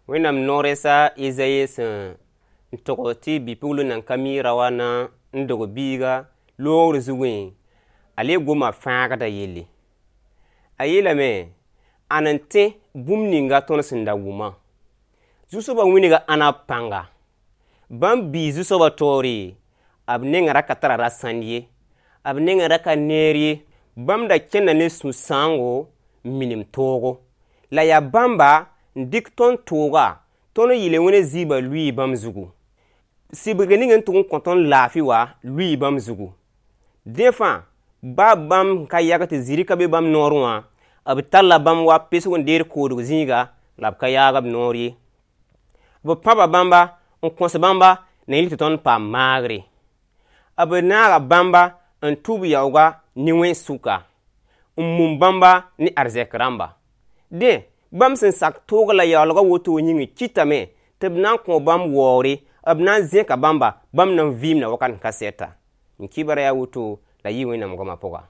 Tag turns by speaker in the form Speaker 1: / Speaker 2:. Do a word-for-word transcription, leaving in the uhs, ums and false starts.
Speaker 1: Wẽnnaam no-rɛɛs a Ezayi sẽn n tog tɩ bi-pugl nan ka mi rao na n dog biiga loogr zugẽ, a le goma fãagdã yelle. A yeelame, ãn n tẽ bũmb ninga tõnd sẽn da wʋmã. Zu-soabã wilga ãnna pãnga. Bãmb biis Zu-soabã taoore, b nengã ra ka tara rasãnd ye, b nengã ra ka neer ye. Bãmb da kẽnda ne sũ-sãoongo n minim toogo. La yaa bãmba n dɩk tõnd tooga, tõnd n yel-wẽna zɩɩbã lʋɩɩ bãmb zugu. Sɩbgr ning n tʋg n kõ tõnd laafɩ wã lʋɩɩ bãmb zugu. Dẽ fãa, baa bãmb n ka yag tɩ zĩri ka be bãmb noorẽ wã, b talla bãmb wa pesg n deed koodg zĩiga la b ka yaag b noor ye. B pãba bãmba n kõs bãmba na yĩl tɩ tõnd paam maagre. B naaga bãmba n tʋ b yaooga ne wẽn-sʋka, n mum bãmba ne arzɛk rãmba. Dẽ, bãmb sẽn sak toog la yaoolga woto yĩng kɩtame tɩ b na n kõ bãmb waoore, b na n zẽka bãmba, bãmb na n vɩɩmda wakat n ka sɛta. N kibra yaa woto la yɩ Wẽnnaam goamã pʋga.